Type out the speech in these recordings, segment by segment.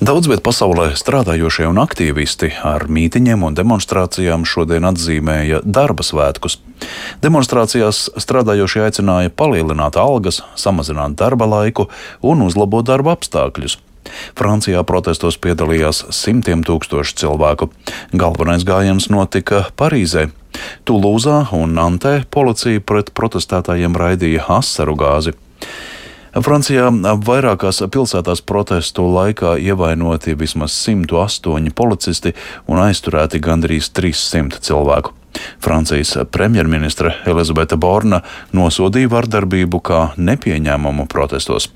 Daudz viet pasaulē strādājošie un aktīvisti ar mītiņiem un demonstrācijām šodien atzīmēja darba svētkus. Demonstrācijās strādājošie aicināja palielināt algas, samazināt darba laiku un uzlabot darba apstākļus. Francijā protestos piedalījās simtiem tūkstošu cilvēku. Galvenais gājiens notika Parīzē. Tulūzā un Nantē policija pret protestētājiem raidīja asaru gāzi. Francijā vairākās pilsētās protestu laikā ievainoti vismaz 108 policisti un aizturēti gandrīz 300 cilvēku. Francijas premjerministre Elizabete Borna nosodīja vardarbību kā nepieņēmumu protestos.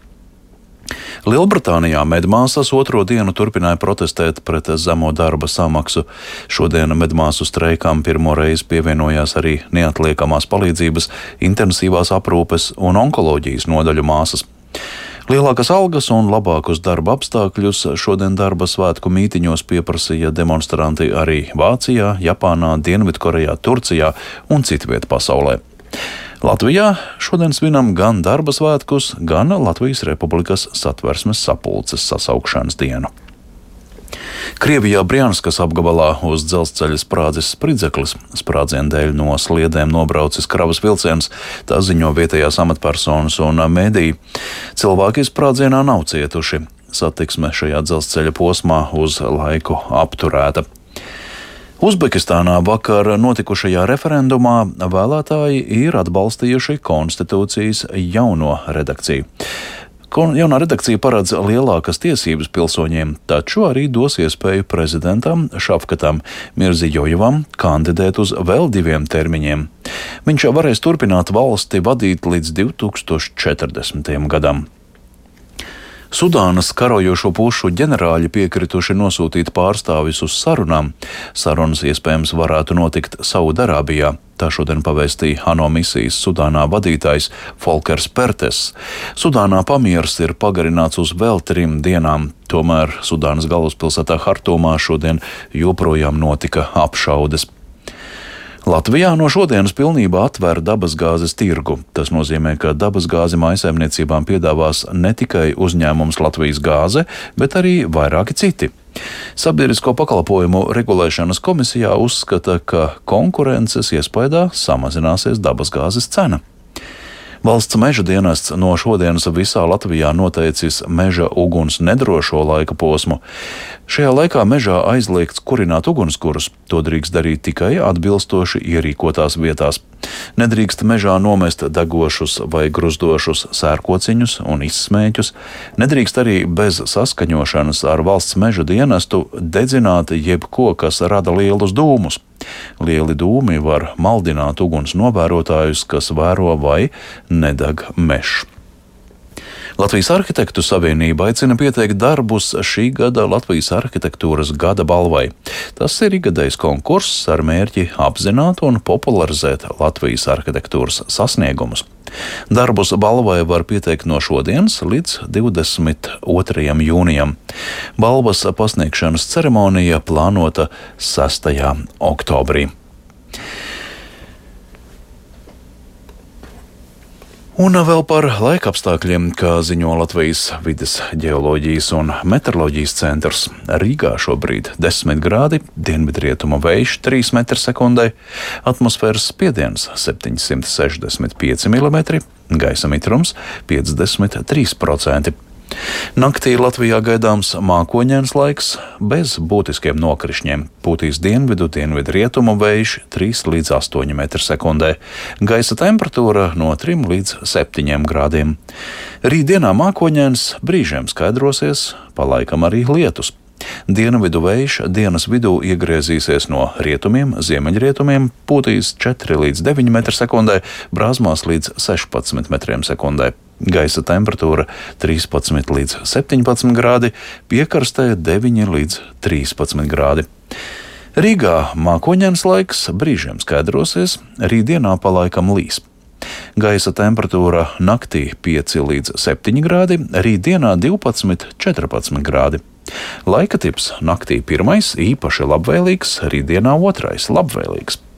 Lielbritānijā medmāsas otro dienu turpināja protestēt pret zemo darba samaksu. Šodien medmāsu streikām pirmo reizi pievienojās arī neatliekamās palīdzības, intensīvās aprūpes un onkoloģijas nodaļu māsas. Lielākas algas un labākus darba apstākļus šodien darba svētku mītiņos pieprasīja demonstranti arī Vācijā, Japānā, Dienvidkorejā, Turcijā un citviet pasaulē. Latvijā šodien svinam gan darba svētkus, gan Latvijas Republikas Satversmes sapulces sasaukšanas dienu. Krievijā Brjanskas apgabalā uz dzelzceļa sprādzis spridzeklis. Sprādziena dēļ no sliedēm nobraucis kravas vilciens, tā ziņo vietējās amatpersonas un mediji. Cilvēki sprādzienā nav cietuši. Satiksme šajā dzelzceļa posmā uz laiku apturēta. Uzbekistānā vakar notikušajā referendumā vēlētāji ir atbalstījuši konstitūcijas jauno redakciju. Jaunā redakcija paredz lielākas tiesības pilsoņiem, taču arī dos iespēju prezidentam Šafkatam Mirzijojevam kandidēt uz vēl 2 termiņiem. Viņš varēs turpināt valsti vadīt līdz 2040. gadam. Sudānas karojošo pušu ģenerāļi piekrituši nosūtīt pārstāvis uz sarunām. Sarunas iespējams varētu notikt Saudarābijā. Tā šodien pavēstīja ANO misijas Sudānā vadītājs Folkers Pertes. Sudānā pamieris ir pagarināts uz vēl 3 dienām, tomēr Sudānas galvaspilsētā Hartumā šodien joprojām notika apšaudes. Latvijā no šodienas pilnībā atver dabasgāzes tirgu. Tas nozīmē, ka dabasgāzi mājsaimniecībām piedāvās ne tikai uzņēmums Latvijas gāze, bet arī vairāki citi. Sabiedrisko pakalpojumu regulēšanas komisijā uzskata, ka konkurences iespaidā samazināsies dabasgāzes cena. Valsts meža dienests no šodienas visā Latvijā noteicis meža uguns nedrošo laika posmu. Šajā laikā mežā aizliegts kurināt ugunskurus. To drīkst darīt tikai atbilstoši ierīkotās vietās. Nedrīkst mežā nomest degošus vai gruzdošus sērkociņus un izsmēķus. Nedrīkst arī bez saskaņošanas ar valsts meža dienestu dedzināt jebko, kas rada lielus dūmus. Lieli dūmi var maldināt uguns novērotājus, kas vēro vai nedeg mežs. Latvijas Arhitektu savienība aicina pieteikt darbus šī gada Latvijas arhitektūras gada balvai. Tas ir ikgadējs konkurss ar mērķi apzināt un popularizēt Latvijas arhitektūras sasniegumus. Darbus balvai var pieteikt no šodienas līdz 22. jūnijam. Balvas pasniegšanas ceremonija plānota 6. oktobrī. Un vēl par laikapstākļiem, kā ziņo Latvijas vides ģeoloģijas un meteoroloģijas centrs. Rīgā šobrīd 10 grādi, dienvidrietuma vējš 3 m/sekundē, atmosfēras spiediens 765 mm, gaisa mitrums 53%. Naktī Latvijā gaidāms mākoņains laiks bez būtiskiem nokrišņiem. Pūtīs dienvidrietumu vējš 3 līdz 8 m/sekundē. Gaisa temperatūra no 3 līdz 7 grādiem. Rītdienā mākoņains, brīžiem skaidrosies, pa laikam arī lietus. Dienvidu vējš dienas vidū iegriezīsies no rietumiem, ziemeļrietumiem, pūtīs 4 līdz 9 m/sekundē, brāzmās līdz 16 m/sekundē. Gaisa temperatūra 13 līdz 17 grādi, piekrastē 9 līdz 13 grādi. Rīgā mākoņains laiks, brīžiem skaidrosies, rītdienā pa laikam līs. Gaisa temperatūra naktī 5 līdz 7 grādi, rītdienā 12–14 grādi. Laika tips naktī 1. īpaši labvēlīgs, rītdienā 2. labvēlīgs.